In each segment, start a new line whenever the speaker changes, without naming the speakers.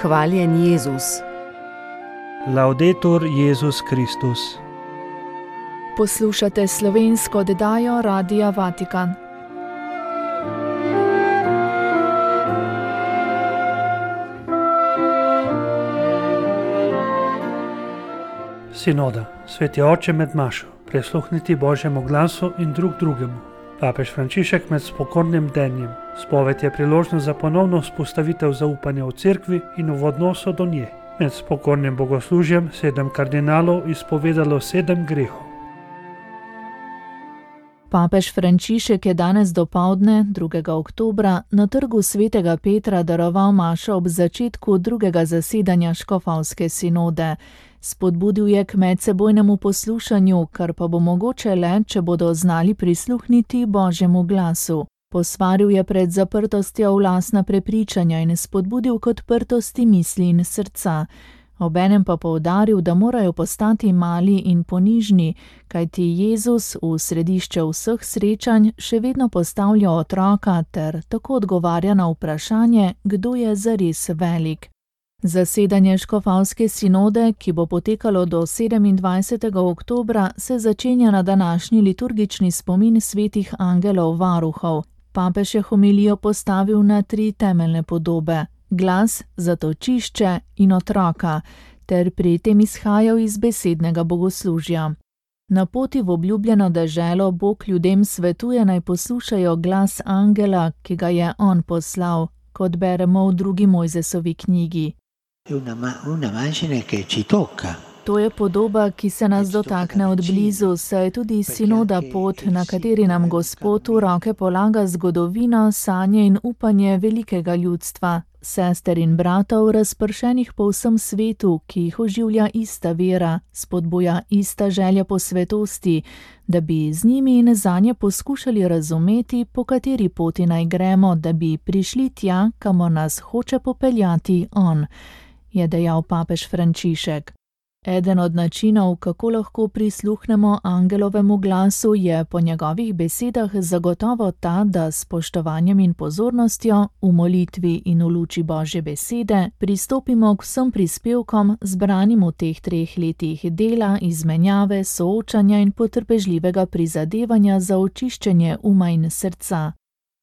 Hvaljen Jezus.
Laudetur Jezus Kristus.
Poslušate slovensko oddajo Radia Vatikan.
Sinoda, sveti oče med mašo, prisluhniti Božjemu glasu in drug drugemu. Papež Frančišek med spokornim denjem. Spoved je priložnost za ponovno vzpostavitev zaupanja v cerkvi in v odnosu do nje. Med spokornim bogoslužjem 7 kardinalov izpovedalo 7 grehov.
Papež Frančišek je danes dopoldne, 2. oktobra, na trgu svetega Petra daroval mašo ob začetku drugega zasedanja škofovske sinode. Spodbudil je k medsebojnemu poslušanju, kar pa bo mogoče le, če bodo znali prisluhniti Božjemu glasu. Posvaril je pred zaprtostjo v lastna prepričanja in spodbudil k odprtosti misli in srca. Obenem pa poudaril, da morajo postati mali in ponižni, kajti Jezus v središče vseh srečanj še vedno postavlja otroka ter tako odgovarja na vprašanje, kdo je zares velik. Zasedanje škofovske sinode, ki bo potekalo do 27. oktobra, se začenja na današnji liturgični spomin svetih angelov varuhov. Papež je homilijo postavil na 3 temeljne podobe: glas, zatočišče in otroka, ter pri tem izhajal iz besednega bogoslužja. Na poti v obljubljeno deželo Bog ljudem svetuje, naj poslušajo glas angela, ki ga je on poslal, kot beremo v 2. Mojzesovi knjigi. To je podoba, ki se nas dotakne od blizu, saj je tudi sinoda pot, na kateri nam Gospod v roke polaga zgodovino, sanje in upanje velikega ljudstva, sester in bratov, razpršenih po vsem svetu, ki jih oživlja ista vera, spodbuja ista želja po svetosti, da bi z njimi in zanje poskušali razumeti, po kateri poti naj gremo, da bi prišli tja, kamor nas hoče popeljati on, je dejal papež Frančišek. Eden od načinov, kako lahko prisluhnemo angelovemu glasu, je po njegovih besedah zagotovo ta, da s spoštovanjem in pozornostjo, v molitvi in v luči Božje besede, pristopimo k vsem prispevkom, zbranim v teh 3 letih dela, izmenjave, soočanja in potrpežljivega prizadevanja za očiščenje uma in srca.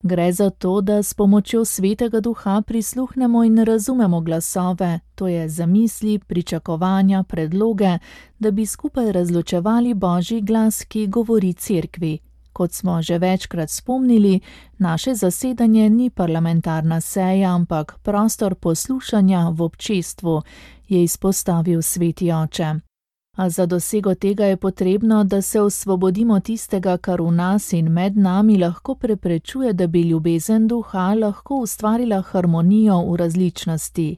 Gre za to, da s pomočjo Svetega Duha prisluhnemo in razumemo glasove, to je zamisli, pričakovanja, predloge, da bi skupaj razločevali Božji glas, ki govori cerkvi. Kot smo že večkrat spomnili, naše zasedanje ni parlamentarna seja, ampak prostor poslušanja v občestvu, je izpostavil sveti oče. A za dosego tega je potrebno, da se osvobodimo tistega, kar v nas in med nami lahko preprečuje, da bi ljubezen duha lahko ustvarila harmonijo v različnosti.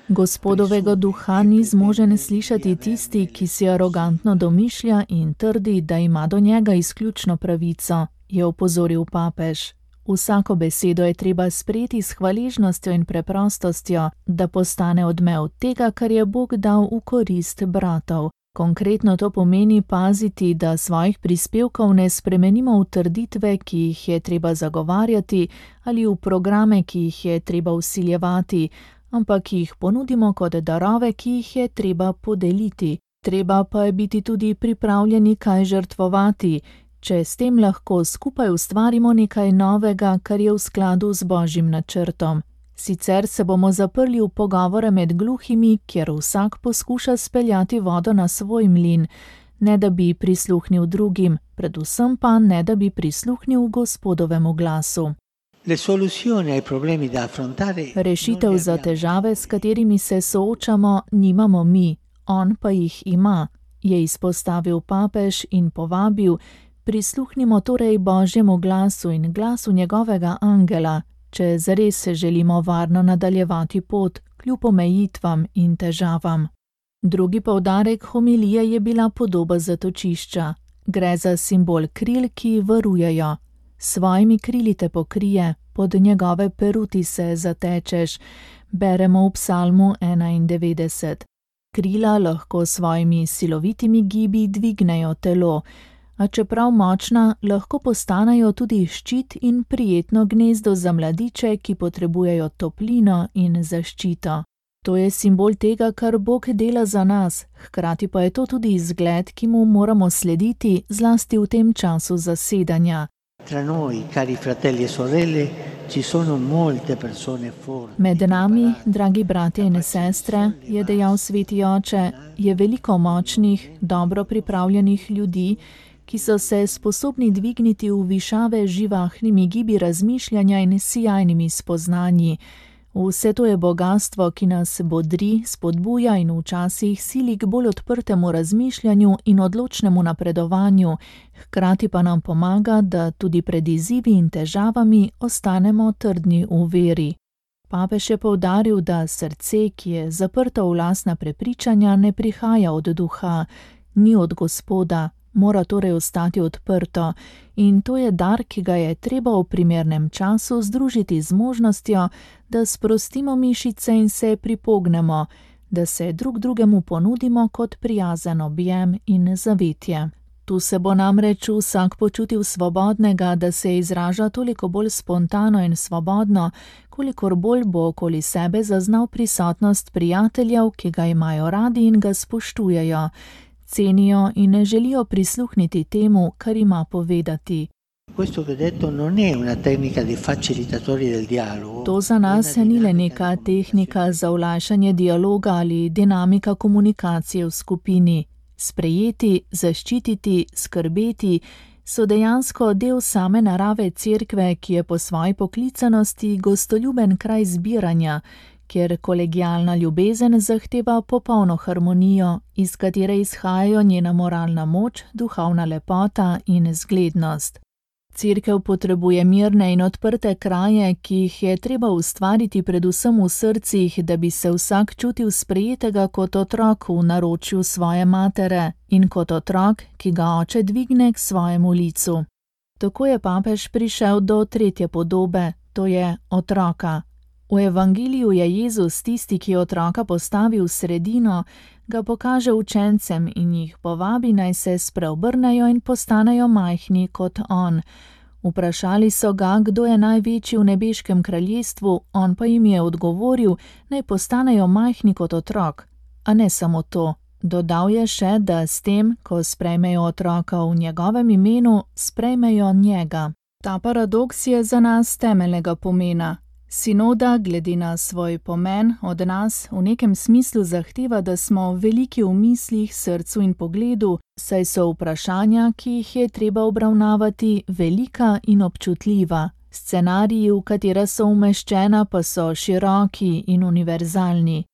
Gospodovega duha ni zmožen slišati tisti, ki si arogantno domišlja in trdi, da ima do njega izključno pravico, je opozoril papež. Vsako besedo je treba sprejeti s hvaležnostjo in preprostostjo, da postane odmev tega, kar je Bog dal v korist bratov. Konkretno to pomeni paziti, da svojih prispevkov ne spremenimo v trditve, ki jih je treba zagovarjati, ali v programe, ki jih je treba vsiljevati, ampak jih ponudimo kot darove, ki jih je treba podeliti. Treba pa je biti tudi pripravljeni kaj žrtvovati, če s tem lahko skupaj ustvarimo nekaj novega, kar je v skladu z Božjim načrtom. Sicer se bomo zaprli v pogovore med gluhimi, kjer vsak poskuša speljati vodo na svoj mlin, ne da bi prisluhnil drugim, predvsem pa ne da bi prisluhnil Gospodovemu glasu. Rešitev za težave, s katerimi se soočamo, nimamo mi, on pa jih ima, je izpostavil papež in povabil: prisluhnimo torej Božjemu glasu in glasu njegovega angela, če zares se želimo varno nadaljevati pot, kljub omejitvam in težavam. Drugi poudarek homilije je bila podoba zatočišča. Gre za simbol kril, ki varujejo. S svojimi krili te pokrije, pod njegove peruti se zatečeš, beremo v Psalmu 91. Krila lahko s svojimi silovitimi gibi dvignejo telo, A čeprav močna, lahko postanejo tudi ščit in prijetno gnezdo za mladiče, ki potrebujejo toplino in zaščito. To je simbol tega, kar Bog dela za nas, hkrati pa je to tudi izgled, ki mu moramo slediti, zlasti v tem času zasedanja.
Tra noi, cari fratelli e sorelle, ci sono molte persone forti.
Med nami, dragi bratje in sestre, je dejal sveti oče, je veliko močnih, dobro pripravljenih ljudi, ki so se sposobni dvigniti v višave z živahnimi gibi razmišljanja in sijajnimi spoznanji. Vse to je bogastvo, ki nas bodri, spodbuja in včasih sili k bolj odprtemu razmišljanju in odločnemu napredovanju, hkrati pa nam pomaga, da tudi pred izzivi in težavami ostanemo trdni v veri. Papež je poudaril, da srce, ki je zaprto v lastna prepričanja, ne prihaja od duha, ni od Gospoda, mora torej ostati odprto in to je dar, ki ga je treba v primernem času združiti z možnostjo, da sprostimo mišice in se pripognemo, da se drug drugemu ponudimo kot prijazen objem in zavetje. Tu se bo namreč vsak počutil svobodnega, da se izraža toliko bolj spontano in svobodno, kolikor bolj bo okoli sebe zaznal prisotnost prijateljev, ki ga imajo radi in ga spoštujejo, cenijo in ne želijo prisluhniti temu, kar ima povedati. To za nas ni le neka tehnika za olajšanje dialoga ali dinamika komunikacije v skupini. Sprejeti, zaščititi, skrbeti so dejansko del same narave cerkve, ki je po svoji poklicanosti gostoljuben kraj zbiranja, kjer kolegialna ljubezen zahteva popolno harmonijo, iz katere izhajajo njena moralna moč, duhovna lepota in zglednost. Cerkev potrebuje mirne in odprte kraje, ki jih je treba ustvariti predvsem v srcih, da bi se vsak čutil sprejetega kot otrok v naročju svoje matere in kot otrok, ki ga oče dvigne k svojemu licu. Tako je papež prišel do tretje podobe, to je otroka. V evangeliju je Jezus tisti, ki otroka postavi v sredino, ga pokaže učencem in jih povabi, naj se spreobrnejo in postanejo majhni kot on. Vprašali so ga, kdo je največji v nebeškem kraljestvu, on pa jim je odgovoril, naj postanejo majhni kot otrok. A ne samo to, dodal je še, da s tem, ko sprejmejo otroka v njegovem imenu, sprejmejo njega. Ta paradoks je za nas temeljnega pomena. Sinoda, glede na svoj pomen, od nas v nekem smislu zahteva, da smo veliki v mislih, srcu in pogledu, saj so vprašanja, ki jih je treba obravnavati, velika in občutljiva. Scenariji, v katera so umeščena, pa so široki in univerzalni.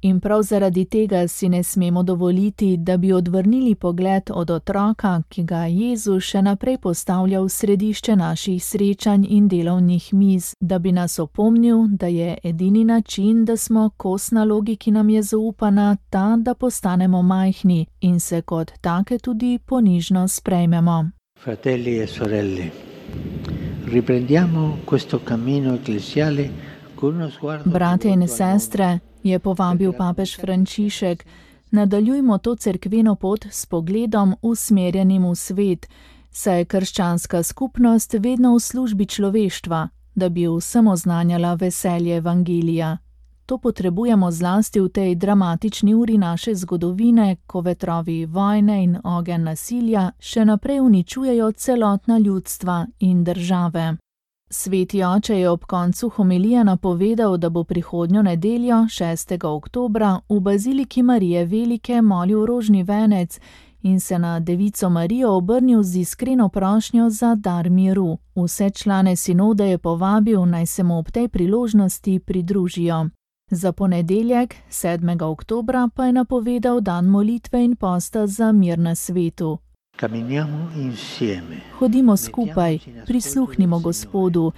In prav zaradi tega si ne smemo dovoliti, da bi odvrnili pogled od otroka, ki ga Jezus še naprej postavlja v središče naših srečanj in delovnih miz, da bi nas opomnil, da je edini način, da smo kos nalogi, ki nam je zaupana, ta, da postanemo majhni in se kot take tudi ponižno sprejmemo.
Fratelli e sorelle, riprendiamo questo cammino ecclesiale con uno sguardo.
Bratje in sestre, je povabil papež Frančišek, nadaljujmo to cerkveno pot s pogledom usmerjenim v svet, saj je krščanska skupnost vedno v službi človeštva, da bi vsem oznanjala veselje evangelija. To potrebujemo zlasti v tej dramatični uri naše zgodovine, ko vetrovi vojne in ogenj nasilja še naprej uničujejo celotna ljudstva in države. Sveti oče je ob koncu homilije napovedal, da bo prihodnjo nedeljo, 6. oktobra, v baziliki Marije Velike molil rožni venec in se na Devico Marijo obrnil z iskreno prošnjo za dar miru. Vse člane sinode je povabil, naj se mu ob tej priložnosti pridružijo. Za ponedeljek, 7. oktobra, pa je napovedal dan molitve in posta za mir na svetu. Hodimo skupaj, prisluhnimo Gospodu,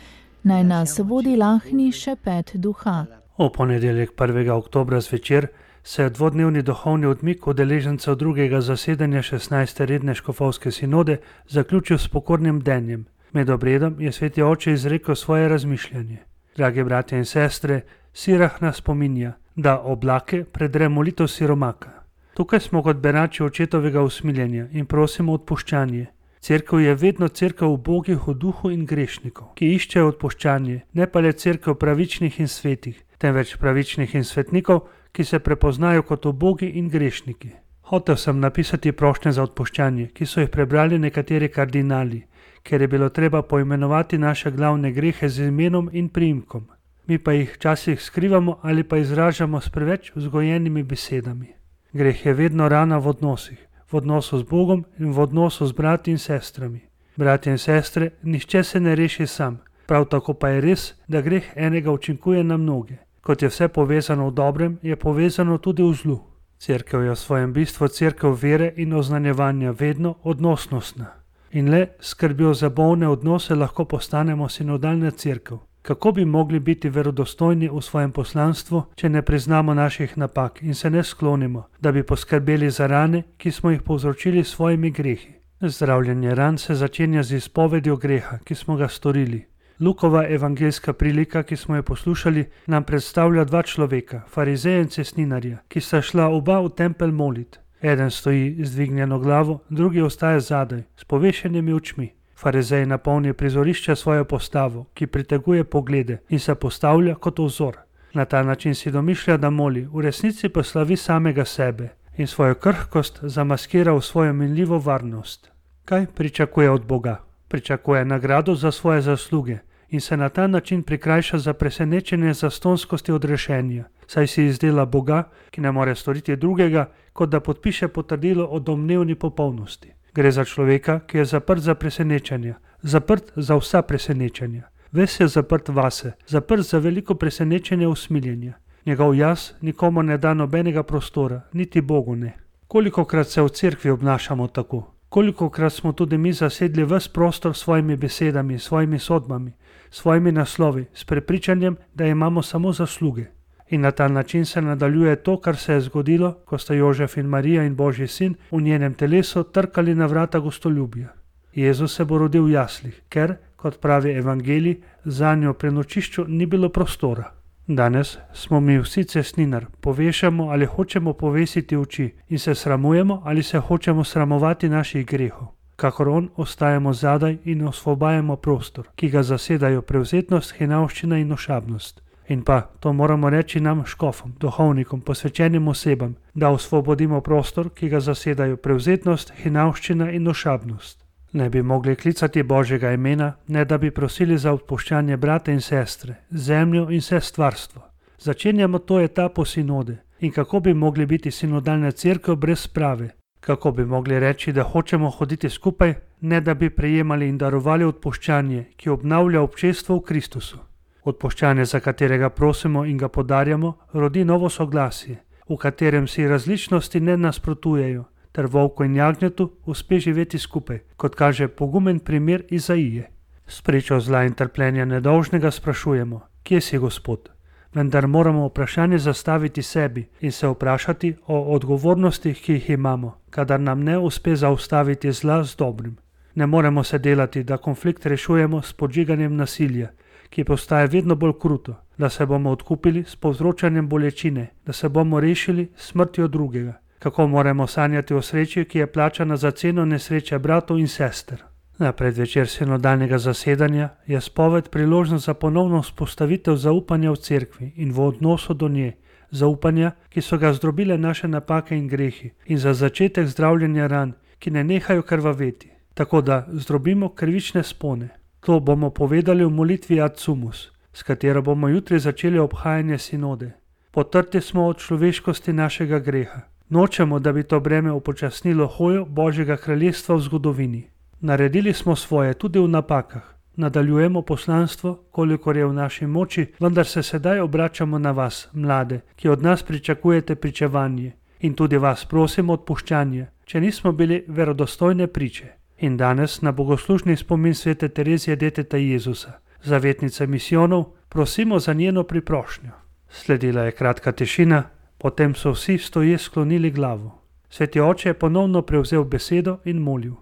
naj nas vodi lahni šepet duha.
V ponedeljek 1. oktobra zvečer se je dvodnevni duhovni odmik udeležencev drugega zasedanja 16. redne škofovske sinode zaključil s pokornim bdenjem. Med obredom je sveti oče izrekel svoje razmišljanje. Dragi bratje in sestre, Sirah nas spominja, da oblake predre molitev siromaka. Tukaj smo kot berači očetovega usmiljenja in prosimo odpuščanje. Cerkev je vedno cerkev ubogih v duhu in grešnikov, ki iščejo odpuščanje, ne pa le cerkev pravičnih in svetih, temveč pravičnih in svetnikov, ki se prepoznajo kot ubogi in grešniki. Hotel sem napisati prošnje za odpuščanje, ki so jih prebrali nekateri kardinali, ker je bilo treba poimenovati naše glavne grehe z imenom in priimkom. Mi pa jih včasih skrivamo ali pa izražamo s preveč vzgojenimi besedami. Greh je vedno rana v odnosih, v odnosu z Bogom in v odnosu z brati in sestrami. Bratje in sestre, nihče se ne reši sam, prav tako pa je res, da greh enega učinkuje na mnoge. Kot je vse povezano v dobrem, je povezano tudi v zlu. Cerkev je v svojem bistvu cerkev vere in oznanjevanja vedno odnosnostna. In le skrbjo za bolne odnose lahko postanemo sinodalna cerkev. Kako bi mogli biti verodostojni v svojem poslanstvu, če ne priznamo naših napak in se ne sklonimo, da bi poskrbeli za rane, ki smo jih povzročili s svojimi grehi? Zdravljenje ran se začenja z izpovedjo greha, ki smo ga storili. Lukova evangeljska prilika, ki smo jo poslušali, nam predstavlja dva človeka, farizeja in cestninarja, ki sta šla oba v tempelj molit. Eden stoji z dvignjeno glavo, drugi ostaja zadaj, s povešenimi očmi. Farizej napolni prizorišče svojo postavo, ki priteguje poglede in se postavlja kot vzor. Na ta način si domišlja, da moli, v resnici pa slavi samega sebe in svojo krhkost zamaskira v svojo minljivo varnost. Kaj pričakuje od Boga? Pričakuje nagrado za svoje zasluge in se na ta način prikrajša za presenečenje zastonskosti odrešenja, saj si izdela Boga, ki ne more storiti drugega, kot da podpiše potrdilo o domnevni popolnosti. Gre za človeka, ki je zaprt za presenečenja, zaprt za vsa presenečenja. Ves je zaprt vase, zaprt za veliko presenečenja usmiljenja. Njegov jaz nikomu ne da nobenega prostora, niti Bogu ne. Kolikokrat se v cerkvi obnašamo tako? Kolikokrat smo tudi mi zasedli ves prostor s svojimi besedami, svojimi sodbami, svojimi naslovi, s prepričanjem, da imamo samo zasluge. In na ta način se nadaljuje to, kar se je zgodilo, ko sta Jožef in Marija in Božji sin v njenem telesu trkali na vrata gostoljubja. Jezus se bo rodil v jaslih, ker, kot pravi evangelij, zanjo pri prenočišču ni bilo prostora. Danes smo mi vsi cestninar, povešamo ali hočemo povesiti oči in se sramujemo ali se hočemo sramovati naših grehov. Kakor on, ostajamo zadaj in osvobajamo prostor, ki ga zasedajo prevzetnost, hinavščina in ošabnost. In pa, to moramo reči nam škofom, duhovnikom, posvečenim osebam, da osvobodimo prostor, ki ga zasedajo prevzetnost, hinavščina in ošabnost. Ne bi mogli klicati Božjega imena, ne da bi prosili za odpuščanje brata in sestre, zemljo in vse stvarstvo. Začenjamo to etapo sinode. In kako bi mogli biti sinodalna cerkev brez sprave? Kako bi mogli reči, da hočemo hoditi skupaj, ne da bi prejemali in darovali odpuščanje, ki obnavlja občestvo v Kristusu? Odpuščanje, za katerega prosimo in ga podarjamo, rodi novo soglasje, v katerem si različnosti ne nasprotujejo, ter volku in jagnjetu uspe živeti skupaj, kot kaže pogumen primer Izaije. S pričo zla in trpljenja nedolžnega sprašujemo, kje si Gospod? Vendar moramo vprašanje zastaviti sebi in se vprašati o odgovornostih, ki jih imamo, kadar nam ne uspe zaustaviti zla z dobrim. Ne moremo se delati, da konflikt rešujemo s podžiganjem nasilja, ki postaje vedno bolj kruto, da se bomo odkupili s povzročanjem bolečine, da se bomo rešili s smrtjo drugega. Kako moramo sanjati o sreči, ki je plačana za ceno nesreče bratov in sester? Na predvečer sinodalnega zasedanja je spoved priložnost za ponovno vzpostavitev zaupanja v cerkvi in v odnosu do nje, zaupanja, ki so ga zdrobile naše napake in grehi, in za začetek zdravljenja ran, ki ne nehajo krvaveti, tako da zdrobimo krivične spone. To bomo povedali v molitvi Ad Sumus, s katero bomo jutri začeli obhajanje sinode. Potrti smo od človeškosti našega greha. Nočemo, da bi to breme upočasnilo hojo Božjega kraljestva v zgodovini. Naredili smo svoje tudi v napakah. Nadaljujemo poslanstvo, kolikor je v naši moči, vendar se sedaj obračamo na vas, mlade, ki od nas pričakujete pričevanje. In tudi vas prosimo odpuščanje, če nismo bili verodostojne priče. In danes na bogoslužni spomin svete Terezije deteta Jezusa, zavetnice misijonov, prosimo za njeno priprošnjo. Sledila je kratka tišina, potem so vsi stoje sklonili glavo. Sveti oče je ponovno prevzel besedo in molil.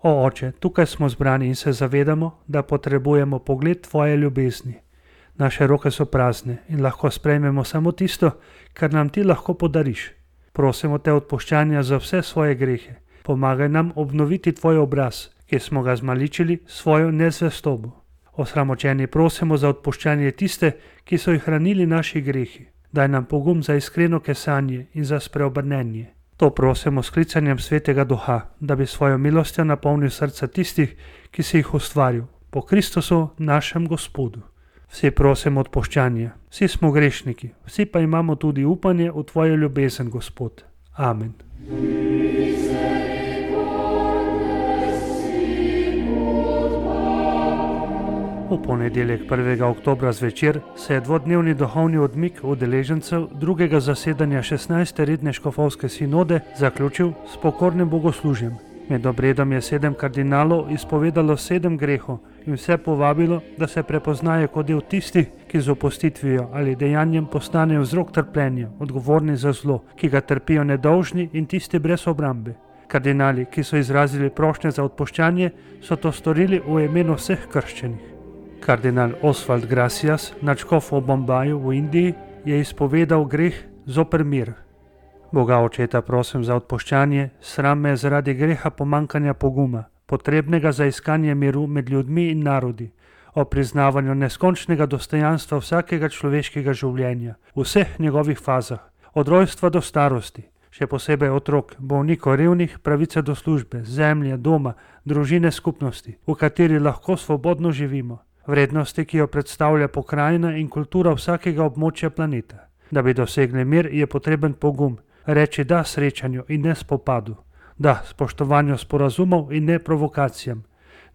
O oče, tukaj smo zbrani in se zavedamo, da potrebujemo pogled tvoje ljubezni. Naše roke so prazne in lahko sprejmemo samo tisto, kar nam ti lahko podariš. Prosimo te odpuščanja za vse svoje grehe. Pomagaj nam obnoviti tvoj obraz, ki smo ga zmaličili svojo nezvestobo. Osramočeni prosimo za odpuščanje tiste, ki so jih hranili naši grehi. Daj nam pogum za iskreno kesanje in za spreobrnenje. To prosimo s klicanjem Svetega Duha, da bi svojo milostjo napolnil srca tistih, ki si jih ustvaril, po Kristusu našem Gospodu. Vsi prosimo odpuščanje, vsi smo grešniki, vsi pa imamo tudi upanje v Tvojo ljubezen, Gospod. Amen. V ponedeljek 1. oktobra zvečer se je dvodnevni duhovni odmik udeležencev drugega zasedanja 16. redne škofovske sinode zaključil s pokornim bogoslužjem. Med obredom je 7 kardinalov izpovedalo 7 grehov in vse povabilo, da se prepoznajo kot del tistih, ki z opustitvijo ali dejanjem postanejo vzrok trpljenja, odgovorni za zlo, ki ga trpijo nedolžni in tisti brez obrambe. Kardinali, ki so izrazili prošnje za odpuščanje, so to storili v imenu vseh krščenih. Kardinal Oswald Gracias, nadškof v Bombaju v Indiji, je izpovedal greh zoper mir. Boga Očeta prosim za odpuščanje, sram me zaradi greha pomankanja poguma, potrebnega za iskanje miru med ljudmi in narodi, o priznavanju neskončnega dostojanstva vsakega človeškega življenja, v vseh njegovih fazah, od rojstva do starosti, še posebej otrok, bolnikov, revnih, pravice do službe, zemlje, doma, družine, skupnosti, v kateri lahko svobodno živimo, vrednosti, ki jo predstavlja pokrajina in kultura vsakega območja planeta. Da bi dosegli mir, je potreben pogum, reči da srečanju in ne spopadu, da spoštovanju sporazumov in ne provokacijam,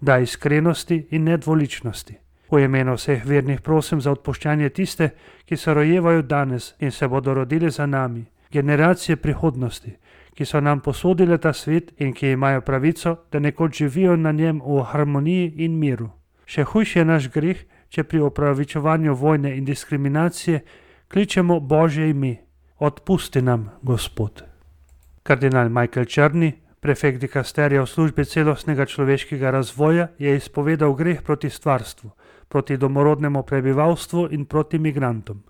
da iskrenosti in ne dvoličnosti. V imenu vseh vernih prosim za odpuščanje tiste, ki se rojevajo danes in se bodo rodili za nami, generacije prihodnosti, ki so nam posodile ta svet in ki imajo pravico, da nekoč živijo na njem v harmoniji in miru. Še hujši je naš greh, če pri opravičevanju vojne in diskriminacije kličemo Božje ime. Odpusti nam, Gospod. Kardinal Michael Črni, prefekt dikasterija v službi celostnega človeškega razvoja, je izpovedal greh proti stvarstvu, proti domorodnemu prebivalstvu in proti migrantom.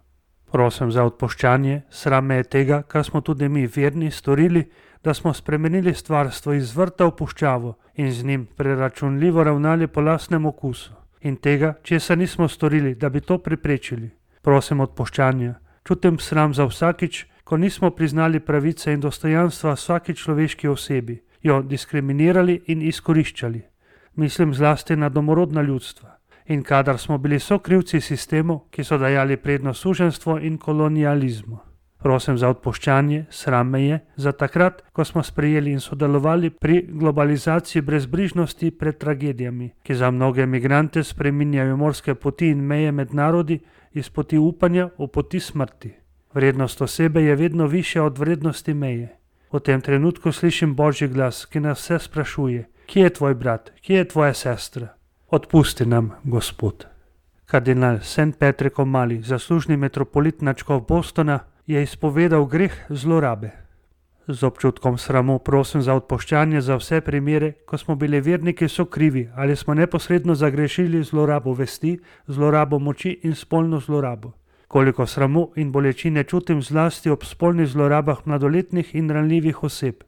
Prosim za odpuščanje, sram me je tega, kar smo tudi mi verni storili, da smo spremenili stvarstvo iz vrta v puščavo in z njim preračunljivo ravnali po lastnem okusu. In tega, česar nismo storili, da bi to preprečili. Prosim odpuščanja. Čutim sram za vsakič, ko nismo priznali pravice in dostojanstva vsaki človeški osebi, jo diskriminirali in izkoriščali. Mislim zlasti na domorodna ljudstva. In kadar smo bili sokrivci sistemov, ki so dajali prednost suženjstvu in kolonializmu. Prosim za odpuščanje, sram me je, za takrat, ko smo sprejeli in sodelovali pri globalizaciji brezbrižnosti pred tragedijami, ki za mnoge migrante spreminjajo morske poti in meje med narodi iz poti upanja v poti smrti. Vrednost osebe je vedno višja od vrednosti meje. V tem trenutku slišim Božji glas, ki nas vse sprašuje, kje je tvoj brat, kje je tvoja sestra? Odpusti nam, Gospod. Kardinal St. Patrick O'Malley, zaslužni metropolit nadškof Bostona, je izpovedal greh zlorabe. Z občutkom sramu prosim za odpuščanje za vse primere, ko smo bili verniki sokrivi ali smo neposredno zagrešili zlorabo vesti, zlorabo moči in spolno zlorabo. Koliko sramu in bolečine čutim zlasti ob spolnih zlorabah mladoletnih in ranljivih oseb.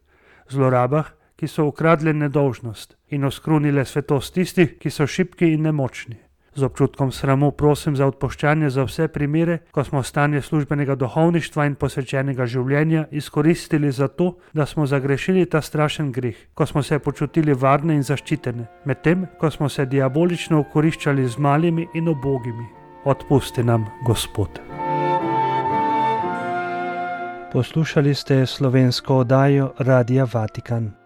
Zlorabah, ki so ukradle nedolžnost in oskrunile svetost tistih, ki so šibki in nemočni. Z občutkom sramu prosim za odpuščanje za vse primere, ko smo stanje službenega duhovništva in posvečenega življenja izkoristili za to, da smo zagrešili ta strašen greh, ko smo se počutili varne in zaščitene, medtem ko smo se diabolično okoriščali z malimi in ubogimi. Odpusti nam, Gospod.
Poslušali ste slovensko oddajo Radia Vatikan.